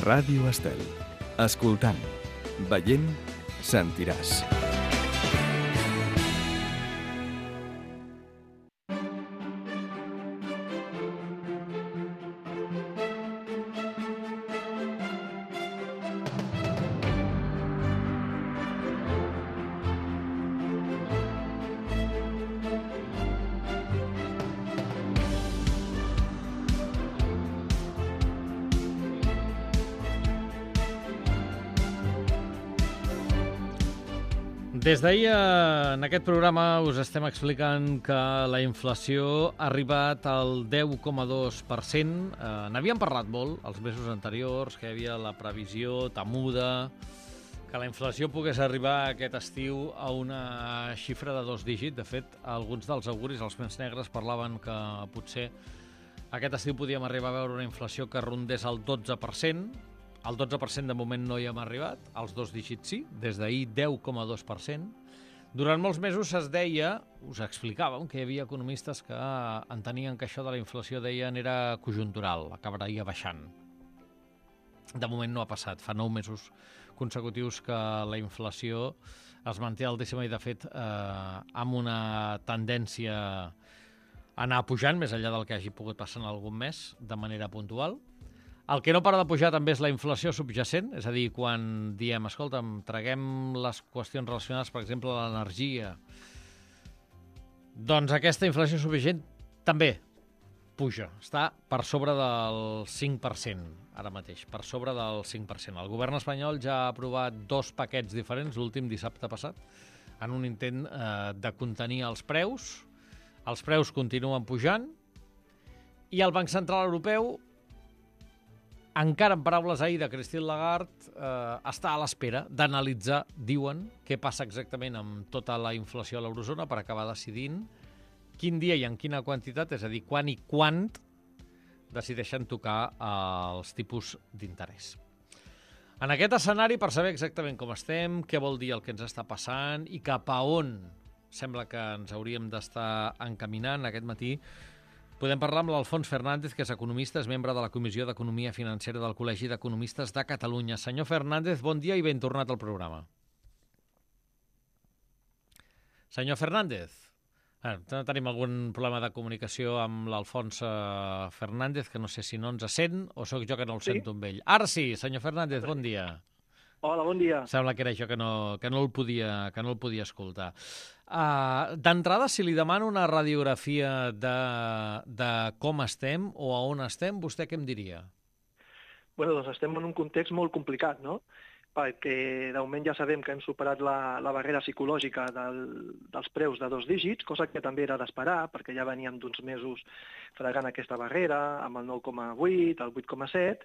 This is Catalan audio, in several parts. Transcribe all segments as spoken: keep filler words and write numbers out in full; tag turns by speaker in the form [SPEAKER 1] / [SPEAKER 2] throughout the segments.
[SPEAKER 1] Ràdio Estel. Escoltant, veient, sentiràs.
[SPEAKER 2] Des d'ahir, en aquest programa, us estem explicant que la inflació ha arribat al deu coma dos per cent. Eh, N'havíem parlat molt els mesos anteriors, que hi havia la previsió temuda, que la inflació pogués arribar aquest estiu a una xifra de dos dígits. De fet, alguns dels auguris, els més negres, parlaven que potser aquest estiu podíem arribar a veure una inflació que rondés el dotze per cent. El dotze per cent de moment no hi hem arribat, els dos dígits sí, des d'ahir deu coma dos per cent. Durant molts mesos es deia, us explicàvem, que hi havia economistes que entenien que això de la inflació, deien, era conjuntural, acabaria baixant. De moment no ha passat, fa nou mesos consecutius que la inflació es manté altíssima i, de fet, eh, amb una tendència a anar pujant, més enllà del que hagi pogut passar en algun mes, de manera puntual. El que no para de pujar també és la inflació subjacent, és a dir, quan diem, escolta'm, traguem les qüestions relacionades, per exemple, a l'energia, doncs aquesta inflació subjacent també puja, està per sobre del cinc per cent ara mateix, per sobre del cinc per cent. El govern espanyol ja ha aprovat dos paquets diferents, l'últim dissabte passat, en un intent eh, de contenir els preus. Els preus continuen pujant i el Banc Central Europeu, encara en paraules ahir de Christine Lagarde, eh, està a l'espera d'analitzar, diuen, què passa exactament amb tota la inflació a l'eurozona per acabar decidint quin dia i en quina quantitat, és a dir, quan i quant decideixen tocar els tipus d'interès. En aquest escenari, per saber exactament com estem, què vol dir el que ens està passant i cap a on sembla que ens hauríem d'estar encaminant aquest matí, podem parlar amb l'Alfons Fernández, que és economista, és membre de la Comissió d'Economia Financera del Col·legi d'Economistes de Catalunya. Senyor Fernández, bon dia i ben tornat al programa. Senyor Fernández, eh, tenim algun problema de comunicació amb l'Alfons Fernández, que no sé si no ens sent o sóc jo que no el
[SPEAKER 3] Sí?
[SPEAKER 2] sento amb ell. Ara sí, senyor Fernández, bon dia.
[SPEAKER 3] Hola, bon dia.
[SPEAKER 2] Sembla que era jo que no, que no, el, podia, que no el podia escoltar. Uh, D'entrada, si li demano una radiografia de, de com estem o a on estem, vostè què em diria?
[SPEAKER 3] Bueno, doncs estem en un context molt complicat, no? Perquè de moment ja sabem que hem superat la, la barrera psicològica del, dels preus de dos dígits, cosa que també era d'esperar, perquè ja veníem d'uns mesos fregant aquesta barrera, amb el nou coma vuit, el vuit coma set,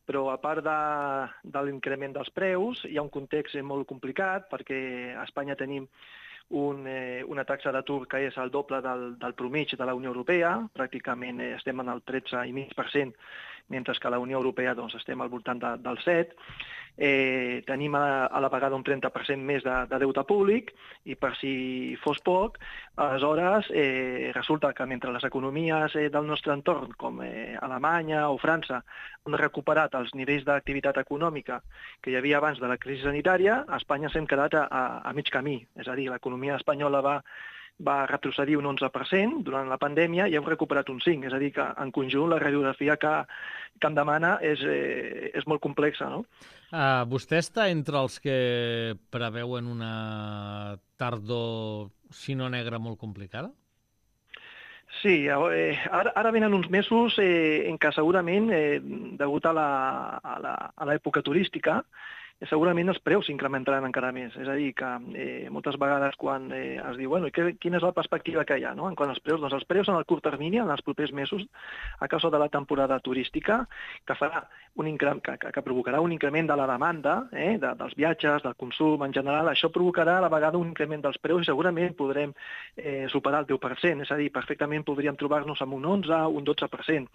[SPEAKER 3] però a part de, de l'increment dels preus, hi ha un context molt complicat, perquè a Espanya tenim un, eh, una taxa d'atur que és el doble del, del promig de la Unió Europea, pràcticament eh, estem en el tretze coma cinc per cent, mentre que a la Unió Europea doncs, estem al voltant de, del set. Eh, tenim a, a la vegada un trenta per cent més de, de deute públic i per si fos poc, aleshores eh, resulta que mentre les economies eh, del nostre entorn, com eh, Alemanya o França, han recuperat els nivells d'activitat econòmica que hi havia abans de la crisi sanitària, a Espanya s'hem quedat a, a, a mig camí. És a dir, l'economia espanyola va va retrocedir un onze per cent durant la pandèmia i hem recuperat un cinc per cent. És a dir, que en conjunt la radiografia que, que em demana és, eh, és molt complexa, no?
[SPEAKER 2] Uh, vostè està entre els que preveuen una tardor, si no negra, molt complicada?
[SPEAKER 3] Sí, eh, ara, ara venen uns mesos eh, en què segurament, eh, degut a l'època turística, segurament els preus s'incrementaran encara més. És a dir, que eh, moltes vegades quan eh, es diu, bueno, que, quina és la perspectiva que hi ha, no? En quant als preus, doncs els preus en el curt termini, en els propers mesos, a causa de la temporada turística, que farà un increment, que, que, que provocarà un increment de la demanda, eh, de, dels viatges, del consum en general, això provocarà a la vegada un increment dels preus i segurament podrem eh, superar el deu per cent, és a dir, perfectament podríem trobar-nos amb un onze, un dotze per cent.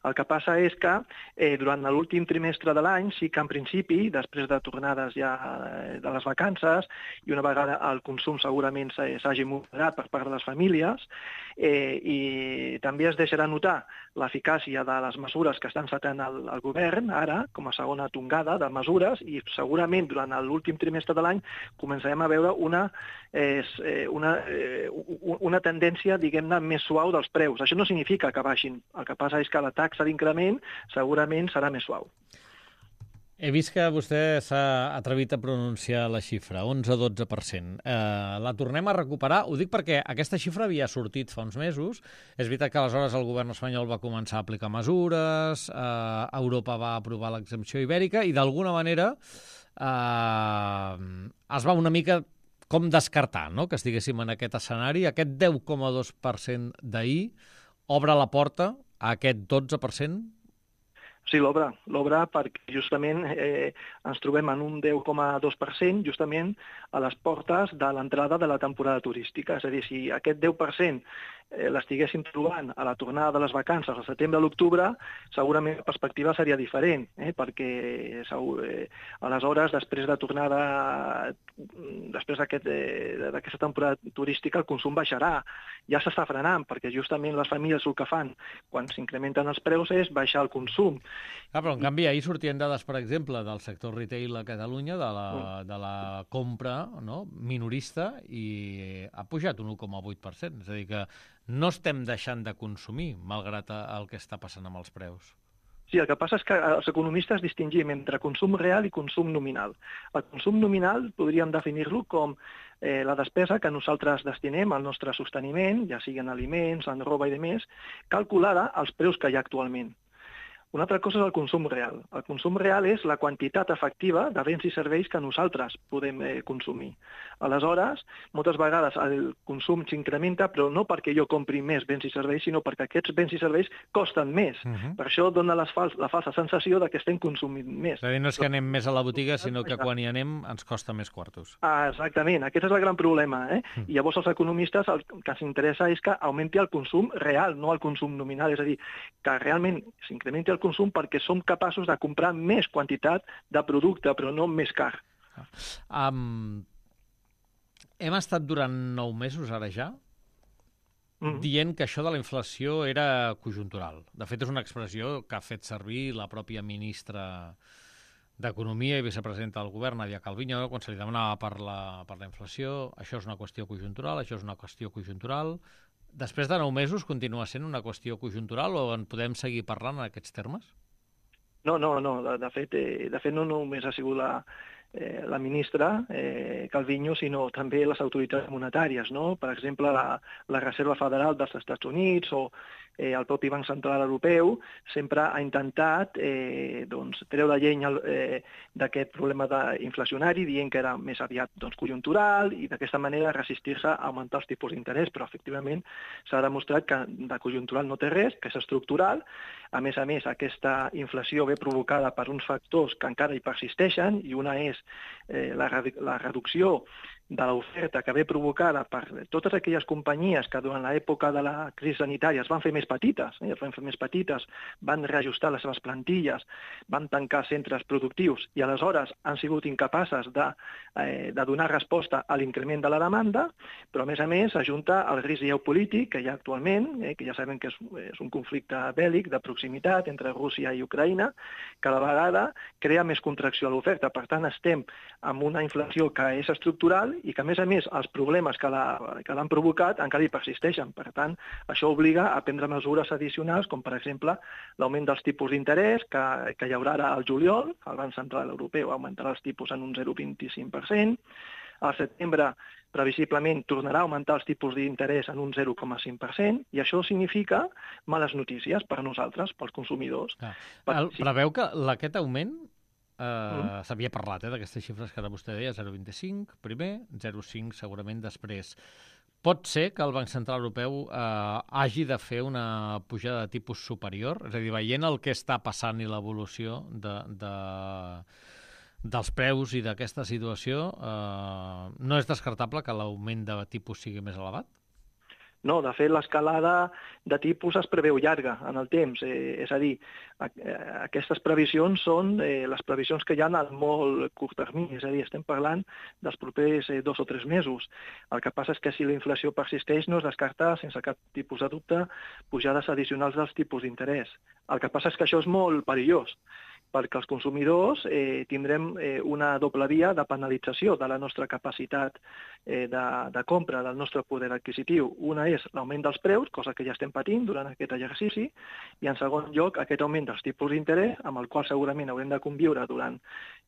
[SPEAKER 3] El que passa és que eh, durant l'últim trimestre de l'any sí que en principi, després de tornar tornades ja de les vacances i una vegada el consum segurament s'hagi moderat per part de les famílies, eh, i també es deixarà notar l'eficàcia de les mesures que està encetant el, el govern ara, com a segona tongada de mesures, i segurament durant l'últim trimestre de l'any començarem a veure una, eh, una, eh, una tendència, diguem-ne, més suau dels preus. Això no significa que baixin, el que passa és que la taxa d'increment segurament serà més suau.
[SPEAKER 2] He vist que vostè s'ha atrevit a pronunciar la xifra, onze a dotze per cent. Eh, la tornem a recuperar? Ho dic perquè aquesta xifra havia sortit fa uns mesos. És veritat que aleshores el govern espanyol va començar a aplicar mesures, eh, Europa va aprovar l'exempció ibèrica i d'alguna manera eh, es va una mica com descartar, no?, que estiguéssim en aquest escenari. Aquest deu coma dos per cent d'ahir obre la porta a aquest dotze per cent?
[SPEAKER 3] Sí, l'obre, l'obre perquè justament eh, ens trobem en un deu coma dos per cent justament a les portes de l'entrada de la temporada turística. És a dir, si aquest deu per cent eh, l'estiguéssim trobant a la tornada de les vacances al setembre a l'octubre, segurament la perspectiva seria diferent, eh, perquè segur, eh, aleshores, després de tornada, després d'aquest, eh, d'aquesta temporada turística, el consum baixarà. Ja s'està frenant, perquè justament les famílies el que fan quan s'incrementen els preus és baixar el consum.
[SPEAKER 2] Ah, però en canvi ahir sortien dades, per exemple, del sector retail a Catalunya, de la, de la compra, no?, minorista, i ha pujat un u coma vuit per cent. És a dir, que no estem deixant de consumir, malgrat el que està passant amb els preus.
[SPEAKER 3] Sí, el que passa és que els economistes distingim entre consum real i consum nominal. El consum nominal podríem definir-lo com eh, la despesa que nosaltres destinem al nostre sosteniment, ja sigui en aliments, en roba i demés, calculada als preus que hi ha actualment. Una altra cosa és el consum real. El consum real és la quantitat efectiva de béns i serveis que nosaltres podem eh, consumir. Aleshores, moltes vegades el consum s'incrementa, però no perquè jo compri més béns i serveis, sinó perquè aquests béns i serveis costen més. Uh -huh. Per això dona les fals, la falsa sensació de que estem consumint més.
[SPEAKER 2] És a dir, no és que anem més a la botiga, sinó que quan hi anem ens costa més quartos.
[SPEAKER 3] Ah, exactament, aquest és el gran problema. Eh? Uh -huh. I llavors els economistes el que els interessa és que augmenti el consum real, no el consum nominal. És a dir, que realment s'incrementi el consum perquè som capaços de comprar més quantitat de producte, però no més car.
[SPEAKER 2] Um, hem estat durant nou mesos, ara ja, mm. dient que això de la inflació era conjuntural. De fet, és una expressió que ha fet servir la pròpia ministra d'Economia i vicepresidenta del govern, Nadia Calviño, quan se li demanava per la, per la inflació. Això és una qüestió conjuntural, això és una qüestió conjuntural. Després de nou mesos continua sent una qüestió conjuntural o en podem seguir parlant en aquests termes?
[SPEAKER 3] No, no, no. De, de, fet, eh, de fet, no només ha sigut la, eh, la ministra eh, Calviño, sinó també les autoritats monetàries, no? Per exemple, la, la Reserva Federal dels Estats Units o eh, el propi Banc Central Europeu sempre ha intentat eh, doncs, treure llenya eh, d'aquest problema inflacionari, dient que era més aviat doncs, conjuntural i d'aquesta manera resistir-se a augmentar els tipus d'interès, però efectivament s'ha demostrat que de conjuntural no té res, que és estructural. A més a més, aquesta inflació ve provocada per uns factors que encara hi persisteixen, i una és eh, la, la reducció de l'oferta que ve provocada per totes aquelles companyies que durant l'època de la crisi sanitària es van fer més petites, eh, es van fer més petites, van reajustar les seves plantilles, van tancar centres productius i aleshores han sigut incapaces de, eh, de donar resposta a l'increment de la demanda, però a més a més ajunta el risc geopolític que hi ha actualment, eh, que ja sabem que és, és un conflicte bèl·lic de proximitat entre Rússia i Ucraïna, que a la vegada crea més contracció a l'oferta. Per tant, estem amb una inflació que és estructural i que, a més a més, els problemes que l'han provocat encara hi persisteixen. Per tant, això obliga a prendre mesures addicionals, com, per exemple, l'augment dels tipus d'interès, que, que hi haurà ara al juliol. El Banc Central Europeu augmentarà els tipus en un zero coma vint-i-cinc per cent. Al setembre, previsiblement, tornarà a augmentar els tipus d'interès en un zero coma cinc per cent, i això significa males notícies per a nosaltres, pels consumidors.
[SPEAKER 2] Ah. El, sí. Preveu que aquest augment Uh, mm. s'havia parlat eh, d'aquestes xifres que ara vostè deia, zero coma vint-i-cinc primer, zero coma cinc segurament després. Pot ser que el Banc Central Europeu uh, hagi de fer una pujada de tipus superior? És a dir, veient el que està passant i l'evolució de, de, dels preus i d'aquesta situació, uh, no és descartable que l'augment de tipus sigui més elevat?
[SPEAKER 3] No, de fet, l'escalada de tipus es preveu llarga en el temps. Eh, és a dir, a, a, aquestes previsions són eh, les previsions que hi ha al molt curt termini. És a dir, estem parlant dels propers eh, dos o tres mesos. El que passa és que si la inflació persisteix no es descarta, sense cap tipus de dubte, pujades addicionals dels tipus d'interès. El que passa és que això és molt perillós, perquè els consumidors eh, tindrem eh, una doble via de penalització de la nostra capacitat eh, de, de compra, del nostre poder adquisitiu. Una és l'augment dels preus, cosa que ja estem patint durant aquest exercici, i en segon lloc aquest augment dels tipus d'interès, amb el qual segurament haurem de conviure durant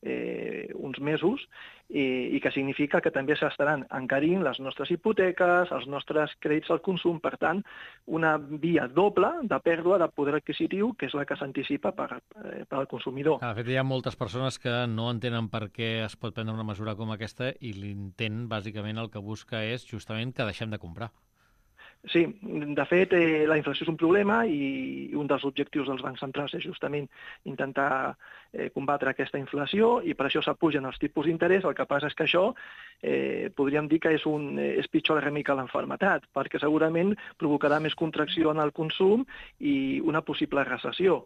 [SPEAKER 3] eh, uns mesos, i, i que significa que també s'estaran encarint les nostres hipoteques, els nostres crèdits al consum, per tant, una via doble de pèrdua de poder adquisitiu, que és la que s'anticipa per, eh, per al consumidor.
[SPEAKER 2] De fet, hi ha moltes persones que no entenen per què es pot prendre una mesura com aquesta i l'intent, bàsicament, el que busca és justament que deixem de comprar.
[SPEAKER 3] Sí, de fet, eh, la inflació és un problema i un dels objectius dels bancs centrals és justament intentar eh, combatre aquesta inflació i per això s'apugen els tipus d'interès. El que passa és que això eh, podríem dir que és, un, és pitjor el remei que l'enfermetat, perquè segurament provocarà més contracció en el consum i una possible recessió.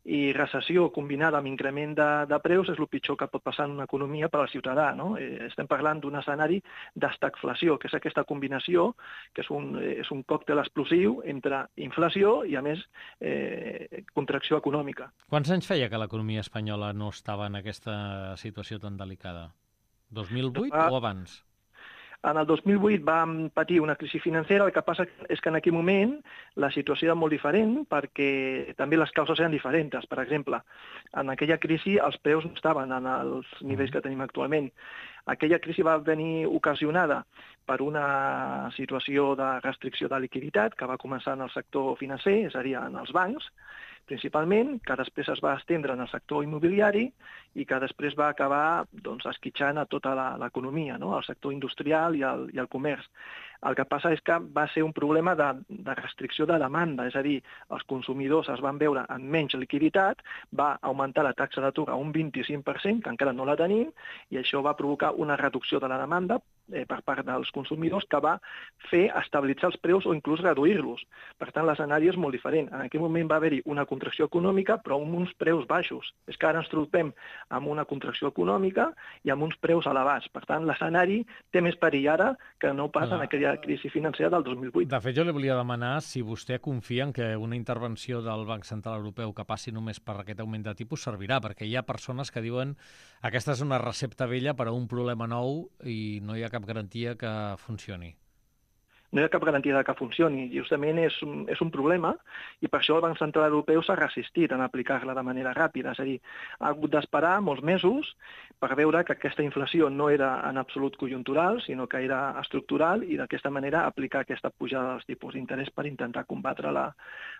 [SPEAKER 3] I recessió combinada amb increment de, de preus és el pitjor que pot passar en una economia per al ciutadà, no? Eh, estem parlant d'un escenari d'estagflació, que és aquesta combinació, que és un, és un còctel explosiu entre inflació i, a més, eh, contracció econòmica.
[SPEAKER 2] Quants anys feia que l'economia espanyola no estava en aquesta situació tan delicada? dos mil vuit
[SPEAKER 3] Ah.
[SPEAKER 2] o abans?
[SPEAKER 3] En el dos mil vuit vam patir una crisi financera, el que passa és que en aquell moment la situació era molt diferent perquè també les causes eren diferents. Per exemple, en aquella crisi els preus no estaven en els nivells que tenim actualment. Aquella crisi va venir ocasionada per una situació de restricció de liquiditat que va començar en el sector financer, és a dir, en els bancs, principalment, que després es va estendre en el sector immobiliari i que després va acabar doncs, esquitxant a tota l'economia, no? El sector industrial i el, i el comerç. El que passa és que va ser un problema de, de restricció de demanda, és a dir, els consumidors es van veure amb menys liquiditat, va augmentar la taxa d'atur a un vint-i-cinc per cent, que encara no la tenim, i això va provocar una reducció de la demanda eh, per part dels consumidors que va fer estabilitzar els preus o inclús reduir-los. Per tant, l'escenari és molt diferent. En aquell moment va haver-hi una contracció econòmica, però amb uns preus baixos. És que ara ens trobem amb una contracció econòmica i amb uns preus elevats. Per tant, l'escenari té més perill ara que no pas en aquella crisi financera del dos mil vuit.
[SPEAKER 2] De fet, jo li volia demanar si vostè confia en que una intervenció del Banc Central Europeu que passi només per aquest augment de tipus servirà, perquè hi ha persones que diuen aquesta és una recepta vella per a un problema nou i no hi ha cap garantia que funcioni.
[SPEAKER 3] No hi ha cap garantia de que funcioni. Justament és un, és un problema i per això el Banc Central Europeu s'ha resistit en aplicar-la de manera ràpida. És a dir, ha hagut d'esperar molts mesos per veure que aquesta inflació no era en absolut conjuntural, sinó que era estructural i d'aquesta manera aplicar aquesta pujada dels tipus d'interès per intentar combatre la,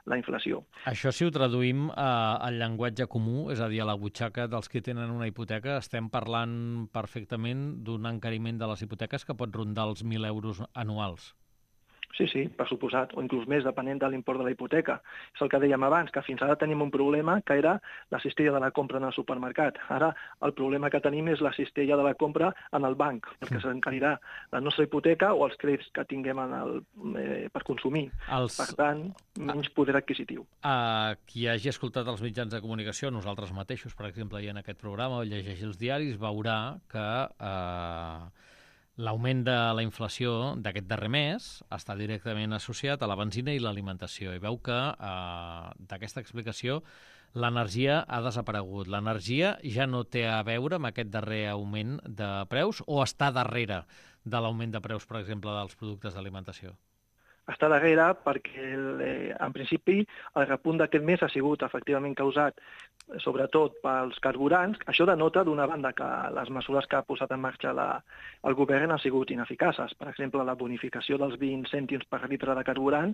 [SPEAKER 3] la inflació.
[SPEAKER 2] Això, si ho traduïm a, al llenguatge comú, és a dir, a la butxaca dels que tenen una hipoteca, estem parlant perfectament d'un encariment de les hipoteques que pot rondar els mil euros anuals.
[SPEAKER 3] Sí, sí, per suposat, o inclús més, depenent de l'import de la hipoteca. És el que dèiem abans, que fins ara tenim un problema que era la cistella de la compra en el supermercat. Ara el problema que tenim és la cistella de la compra en el banc, perquè s'encarirà la nostra hipoteca o els crèdits que tinguem en el, eh, per consumir. Els... Per tant, menys poder adquisitiu.
[SPEAKER 2] A qui hagi escoltat els mitjans de comunicació, nosaltres mateixos, per exemple, i en aquest programa, o llegeixi els diaris, veurà que eh, l'augment de la inflació d'aquest darrer mes està directament associat a la benzina i l'alimentació. I veu que eh, d'aquesta explicació l'energia ha desaparegut. L'energia ja no té a veure amb aquest darrer augment de preus o està darrere de l'augment de preus, per exemple, dels productes d'alimentació?
[SPEAKER 3] Està darrere perquè, el, eh, en principi, el repunt d'aquest mes ha sigut efectivament causat sobretot pels carburants. Això denota, d'una banda, que les mesures que ha posat en marxa la, el govern han sigut ineficaces. Per exemple, la bonificació dels vint cèntims per litre de carburant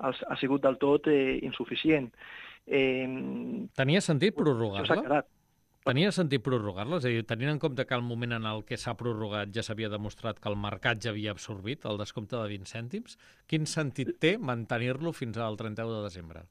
[SPEAKER 3] els, ha sigut del tot eh, insuficient. Eh,
[SPEAKER 2] Tenia sentit prorrogar-la?
[SPEAKER 3] S'ha quedat.
[SPEAKER 2] Tenia sentit prorrogar-la? És a dir, tenint en compte que al moment en el que s'ha prorrogat ja s'havia demostrat que el mercat ja havia absorbit el descompte de vint cèntims, quin sentit té mantenir-lo fins al trenta-u de desembre?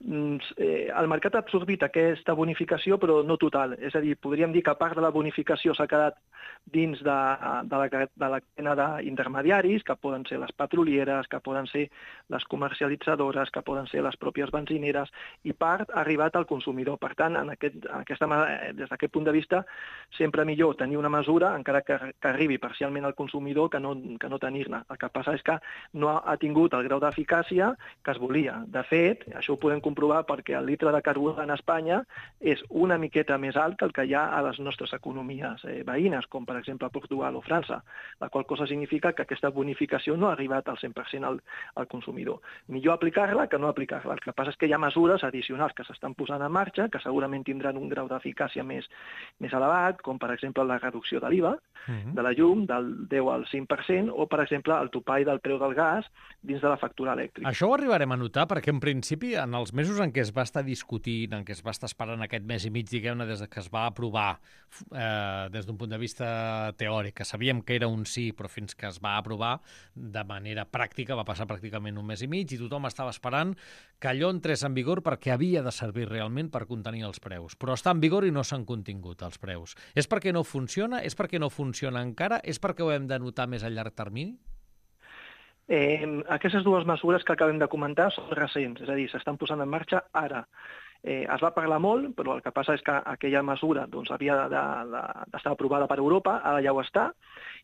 [SPEAKER 3] eh, el mercat ha absorbit aquesta bonificació, però no total. És a dir, podríem dir que part de la bonificació s'ha quedat dins de, de, la, de la cadena d'intermediaris, que poden ser les petrolieres, que poden ser les comercialitzadores, que poden ser les pròpies benzineres, i part ha arribat al consumidor. Per tant, en aquest, en aquesta, des d'aquest punt de vista, sempre millor tenir una mesura, encara que, que arribi parcialment al consumidor, que no, que no tenir-ne. El que passa és que no ha, ha tingut el grau d'eficàcia que es volia. De fet, això ho podem comprovar perquè el litre de carburant a Espanya és una miqueta més alt que el que hi ha a les nostres economies eh, veïnes, com per exemple Portugal o França, la qual cosa significa que aquesta bonificació no ha arribat al cent per cent al, al consumidor. Millor aplicar-la que no aplicar-la. El que passa és que hi ha mesures addicionals que s'estan posant en marxa, que segurament tindran un grau d'eficàcia més, més elevat, com per exemple la reducció de l'I V A, uh-huh. de la llum, del deu al cinc per cent, o per exemple el topall del preu del gas dins de la factura elèctrica.
[SPEAKER 2] Això ho arribarem a notar perquè en principi en els mesos en què es va estar discutint, en què es va estar esperant aquest mes i mig, diguem-ne, des que es va aprovar eh, des d'un punt de vista teòric, que sabíem que era un sí, però fins que es va aprovar de manera pràctica, va passar pràcticament un mes i mig i tothom estava esperant que allò entrés en vigor perquè havia de servir realment per contenir els preus. Però està en vigor i no s'han contingut els preus. És perquè no funciona? És perquè no funciona encara? És perquè ho hem de notar més a llarg termini?
[SPEAKER 3] Eh, aquestes dues mesures que acabem de comentar són recents, és a dir, s'estan posant en marxa ara. Eh, es va parlar molt, però el que passa és que aquella mesura doncs, havia d'estar de, de, aprovada per Europa, ara ja ho està,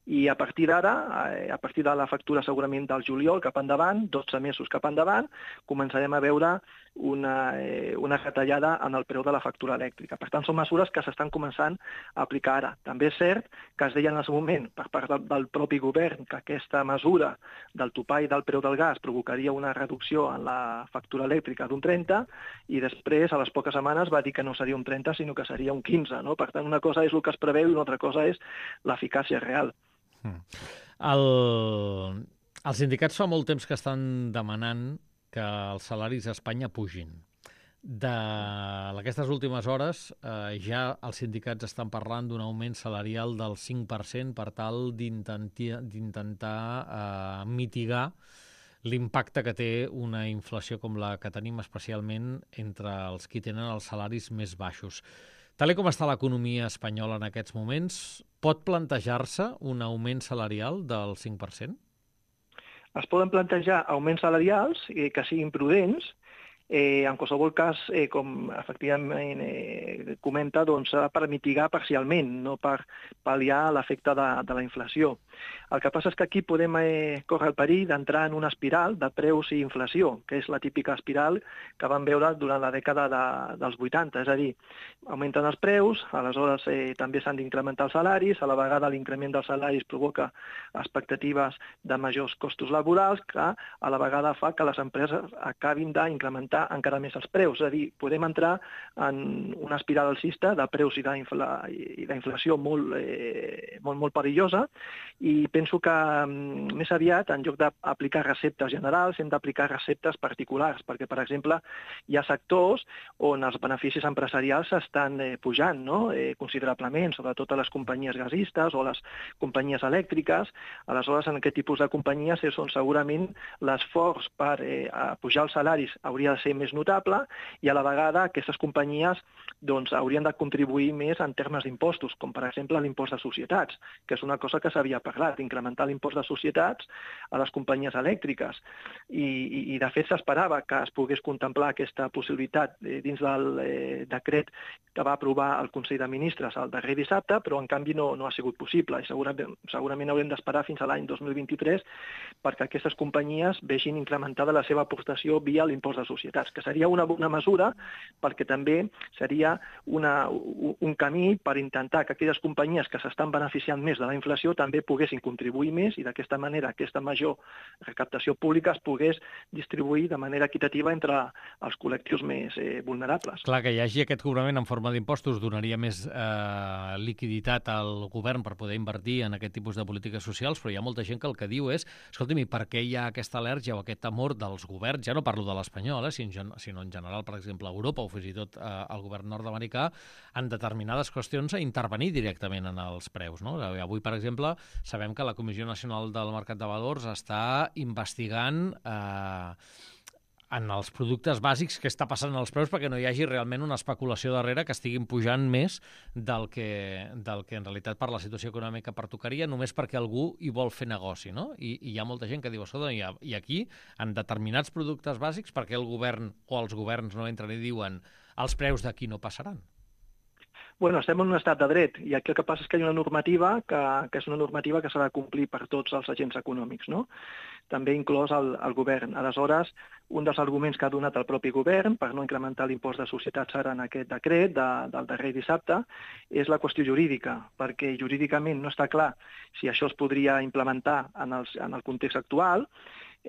[SPEAKER 3] i a partir d'ara, eh, a partir de la factura segurament del juliol cap endavant, dotze mesos cap endavant, començarem a veure una, eh, una retallada en el preu de la factura elèctrica. Per tant, són mesures que s'estan començant a aplicar ara. També és cert que es deia en el seu moment, per part del, del propi govern, que aquesta mesura del topall del preu del gas provocaria una reducció en la factura elèctrica d'un trenta, i després, a les poques setmanes, va dir que no seria un trenta, sinó que seria un quinze. No? Per tant, una cosa és el que es preveu i una altra cosa és l'eficàcia real.
[SPEAKER 2] Mm. El... Els sindicats fa molt temps que estan demanant que els salaris a Espanya pugin. D'aquestes últimes hores eh, ja els sindicats estan parlant d'un augment salarial del cinc per cent per tal d'intentar eh, mitigar l'impacte que té una inflació com la que tenim especialment entre els qui tenen els salaris més baixos. Tal com està l'economia espanyola en aquests moments, pot plantejar-se un augment salarial del cinc per cent?
[SPEAKER 3] Es poden plantejar augments salarials eh, que siguin prudents. Eh, en qualsevol cas, eh, com efectivament eh, comenta, doncs serà per mitigar parcialment, no per pal·liar l'efecte de, de la inflació. El que passa és que aquí podem eh, córrer el perill d'entrar en una espiral de preus i inflació, que és la típica espiral que vam veure durant la dècada de, dels vuitanta. És a dir, augmenten els preus, aleshores eh, també s'han d'incrementar els salaris, a la vegada l'increment dels salaris provoca expectatives de majors costos laborals que a la vegada fa que les empreses acabin d'incrementar encara més els preus. És a dir, podem entrar en una espiral alcista de preus i d'inflació molt, eh, molt, molt perillosa, i penso que més aviat, en lloc d'aplicar receptes generals, hem d'aplicar receptes particulars, perquè, per exemple, hi ha sectors on els beneficis empresarials estan eh, pujant no? eh, considerablement, sobretot a les companyies gasistes o les companyies elèctriques. Aleshores, en aquest tipus de companyies és on segurament l'esforç per eh, pujar els salaris hauria de ser més notable, i a la vegada aquestes companyies doncs, haurien de contribuir més en termes d'impostos, com per exemple l'impost de societats, que és una cosa que s'havia parlat, incrementar l'impost de societats a les companyies elèctriques. I, i, i de fet s'esperava que es pogués contemplar aquesta possibilitat eh, dins del eh, decret que va aprovar el Consell de Ministres el darrer dissabte, però en canvi no, no ha sigut possible, i segurament, segurament haurem d'esperar fins a l'any dos mil vint-i-tres perquè aquestes companyies vegin incrementada la seva aportació via l'impost de societats, que seria una bona mesura perquè també seria una, un camí per intentar que aquelles companyies que s'estan beneficiant més de la inflació també poguessin contribuir més, i d'aquesta manera aquesta major recaptació pública es pogués distribuir de manera equitativa entre els col·lectius més eh, vulnerables.
[SPEAKER 2] Clar, que hi hagi aquest cobrament en forma d'impostos donaria més eh, liquiditat al govern per poder invertir en aquest tipus de polítiques socials, però hi ha molta gent que el que diu és, escolta'm, per què hi ha aquesta al·lèrgia o aquest temor dels governs, ja no parlo de l'espanyol, eh, sinó en general, per exemple, a Europa o fins i tot eh, al govern nord-americà, en determinades qüestions a intervenir directament en els preus, no? Avui, per exemple, sabem que la Comissió Nacional del Mercat de Valors està investigant eh, en els productes bàsics què està passant als preus perquè no hi hagi realment una especulació darrere que estiguin pujant més del que, del que en realitat per la situació econòmica pertocaria, només perquè algú hi vol fer negoci, no? I, i hi ha molta gent que diu, escolta, i, i aquí, en determinats productes bàsics, perquè el govern o els governs no entren i diuen els preus d'aquí no passaran?
[SPEAKER 3] Bueno, estem en un estat de dret i aquí el que passa és que hi ha una normativa que, que és una normativa que s'ha de complir per tots els agents econòmics, no? També inclòs el, el govern. Aleshores, un dels arguments que ha donat el propi govern per no incrementar l'impost de societats ara en aquest decret de, del darrer dissabte és la qüestió jurídica, perquè jurídicament no està clar si això es podria implementar en, els, en el context actual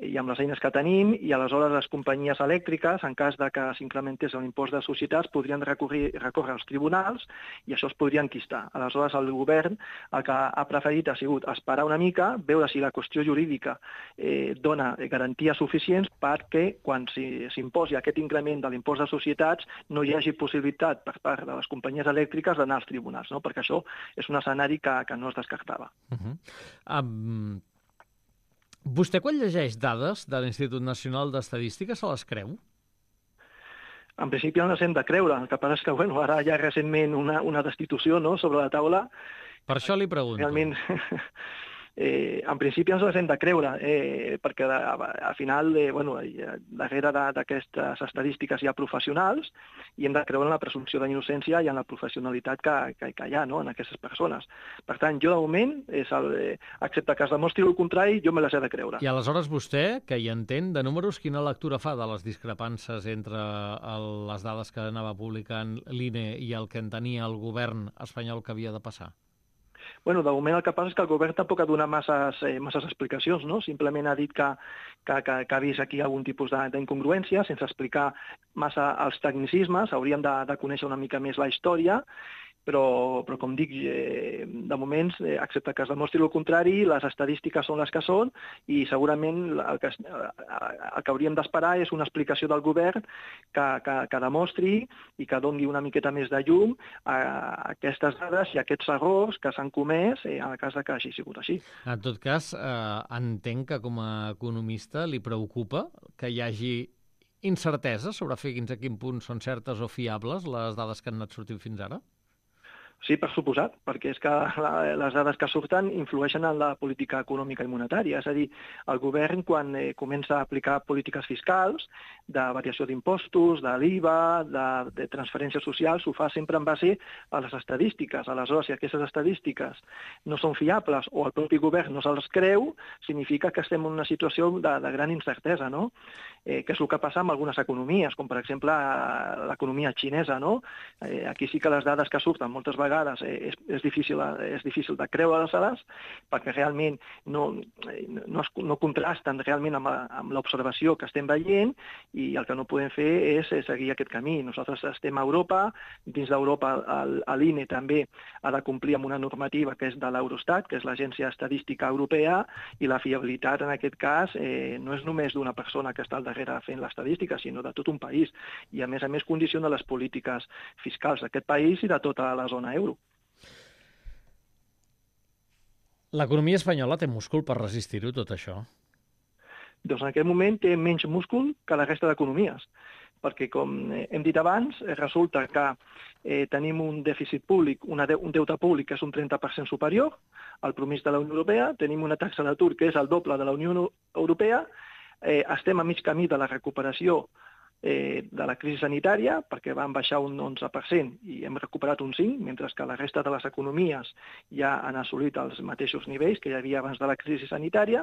[SPEAKER 3] i amb les eines que tenim, i aleshores les companyies elèctriques, en cas de que s'incrementés l'impost de societats, podrien recórrer, recórrer als tribunals i això es podria enquistar. Aleshores, el govern el que ha preferit ha sigut esperar una mica, veure si la qüestió jurídica eh, dona garanties suficients perquè quan s'imposi aquest increment de l'impost de societats no hi hagi possibilitat per part de les companyies elèctriques d'anar als tribunals, no? Perquè això és un escenari que, que no es descartava.
[SPEAKER 2] Uh-huh. Um... Vostè, quan llegeix dades de l'Institut Nacional d'Estadística, se les creu?
[SPEAKER 3] En principi no les hem de creure. El que passa és que bueno, ara hi ha recentment una, una destitució, no?, sobre la taula.
[SPEAKER 2] Per això li pregunto.
[SPEAKER 3] Realment, eh, en principi ens les hem de creure, eh, perquè al final, eh, bueno, darrere d'aquestes estadístiques hi ha professionals i hem de creure en la presumpció d'innocència i en la professionalitat que, que, que hi ha, no?, en aquestes persones. Per tant, jo de moment, és el, eh, excepte que es demostri el contrari, jo me les he de creure.
[SPEAKER 2] I aleshores vostè, que hi entén de números, quina lectura fa de les discrepàncies entre el, les dades que anava publicant l'I N E i el que entenia el govern espanyol que havia de passar?
[SPEAKER 3] Bueno, de moment el que passa és que el govern tampoc ha donat masses, eh, masses explicacions, no? Simplement ha dit que, que, que, que ha vist aquí algun tipus d'incongruència, sense explicar massa els tecnicismes. Hauríem de, de conèixer una mica més la història, però, però com dic, eh, de moments, eh, excepte que es demostri el contrari, les estadístiques són les que són i segurament el que, el que hauríem d'esperar és una explicació del govern que, que, que demostri i que doni una miqueta més de llum a aquestes dades i a aquests errors que s'han comès eh, en el cas que hagi sigut així.
[SPEAKER 2] En tot cas, eh, entenc que com a economista li preocupa que hi hagi incertesa sobre fins a quin punt són certes o fiables les dades que han anat sortint fins ara?
[SPEAKER 3] Sí, per suposat, perquè és que la, les dades que surten influeixen en la política econòmica i monetària. És a dir, el govern, quan eh, comença a aplicar polítiques fiscals, de variació d'impostos, de l'I V A, de, de transferències socials, ho fa sempre en base a les estadístiques. Aleshores, si aquestes estadístiques no són fiables o el propi govern no se'ls creu, significa que estem en una situació de, de gran incertesa, no? Eh, que és el que passa amb algunes economies, com per exemple l'economia xinesa, no? Eh, aquí sí que les dades que surten moltes vegades vegades és, és, difícil, és difícil de creure-les perquè realment no, no, es, no contrasten realment amb, amb l'observació que estem veient i el que no podem fer és seguir aquest camí. Nosaltres estem a Europa, dins d'Europa l'I N E també ha de complir amb una normativa que és de l'Eurostat, que és l'Agència Estadística Europea, i la fiabilitat en aquest cas eh, no és només d'una persona que està al darrere fent l'estadística, sinó de tot un país. I a més a més condiciona les polítiques fiscals d'aquest país i de tota la zona euro.
[SPEAKER 2] L'economia espanyola té múscul per resistir-ho, tot això?
[SPEAKER 3] Doncs en aquest moment té menys múscul que la resta d'economies, perquè, com hem dit abans, resulta que eh, tenim un dèficit públic, una de, un deute públic que és un trenta per cent superior al promís de la Unió Europea, tenim una taxa d'atur que és el doble de la Unió Europea, eh, estem a mig camí de la recuperació Eh, de la crisi sanitària, perquè van baixar un onze per cent i hem recuperat un cinc per cent, mentre que la resta de les economies ja han assolit els mateixos nivells que hi havia abans de la crisi sanitària,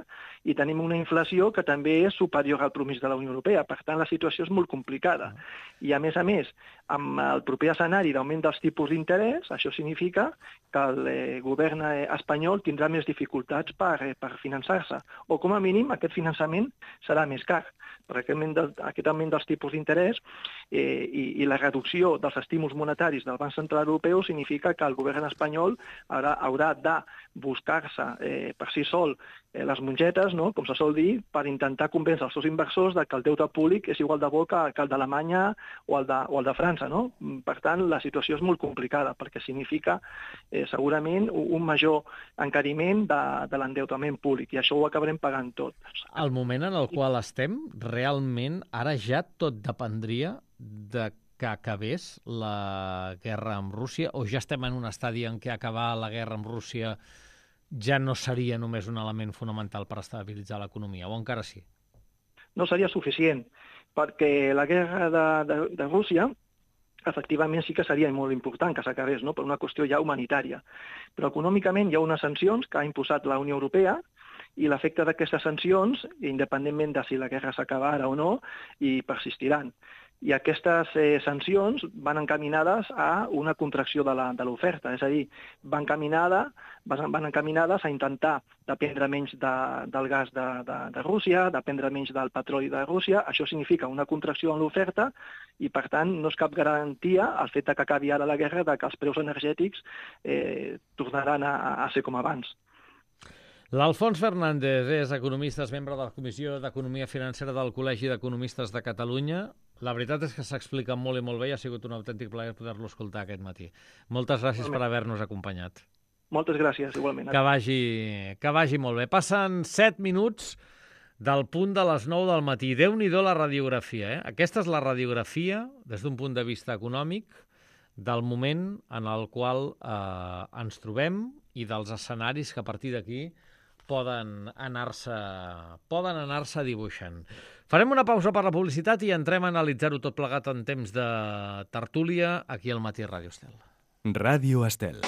[SPEAKER 3] i tenim una inflació que també és superior al promís de la Unió Europea. Per tant, la situació és molt complicada. I, a més a més, amb el proper escenari d'augment dels tipus d'interès, això significa que el eh, govern espanyol tindrà més dificultats per, eh, per finançar-se, o com a mínim aquest finançament serà més car, perquè aquest augment, de, aquest augment dels tipus tipus d'interès eh, i, i la reducció dels estímuls monetaris del Banc Central Europeu significa que el govern espanyol haurà, haurà de buscar-se eh, per si sol eh, les mongetes, no? Com se sol dir, per intentar convèncer els seus inversors de que el deute públic és igual de bo que, que el d'Alemanya o, el de, o el de França. No? Per tant, la situació és molt complicada perquè significa eh, segurament un major encariment de, de l'endeutament públic i això ho acabarem pagant tot.
[SPEAKER 2] El moment en el qual estem, realment, ara ja tot dependria de que acabés la guerra amb Rússia o ja estem en un estadi en què acabar la guerra amb Rússia ja no seria només un element fonamental per estabilitzar l'economia, o encara sí?
[SPEAKER 3] No seria suficient, perquè la guerra de, de, de Rússia efectivament sí que seria molt important que s'acabés, no? Per una qüestió ja humanitària. Però econòmicament hi ha unes sancions que ha imposat la Unió Europea i l'efecte d'aquestes sancions, independentment de si la guerra s'acaba ara o no, hi persistiran. I aquestes eh, sancions van encaminades a una contracció de l'oferta, és a dir, van, encaminada, van encaminades a intentar dependre menys de, del gas de, de, de Rússia, dependre menys del petroli de Rússia. Això significa una contracció en l'oferta i, per tant, no és cap garantia el fet que acabi ara la guerra de que els preus energètics eh, tornaran a, a ser com abans.
[SPEAKER 2] L'Alfons Fernández és economista, és membre de la Comissió d'Economia Financera del Col·legi d'Economistes de Catalunya. La veritat és que s'explica molt i molt bé i ha sigut un autèntic plaer poder-lo escoltar aquest matí. Moltes gràcies per haver-nos acompanyat.
[SPEAKER 3] Moltes gràcies, igualment.
[SPEAKER 2] Que vagi, que vagi molt bé. Passen set minuts del punt de les nou del matí. Déu-n'hi-do la radiografia, eh? Aquesta és la radiografia, des d'un punt de vista econòmic, del moment en el qual eh, ens trobem i dels escenaris que a partir d'aquí poden anar-se poden anar-se dibuixant. Farem una pausa per la publicitat i entrem a analitzar-ho tot plegat en temps de tertúlia aquí al Matí Ràdio Estel.
[SPEAKER 1] Ràdio Estel.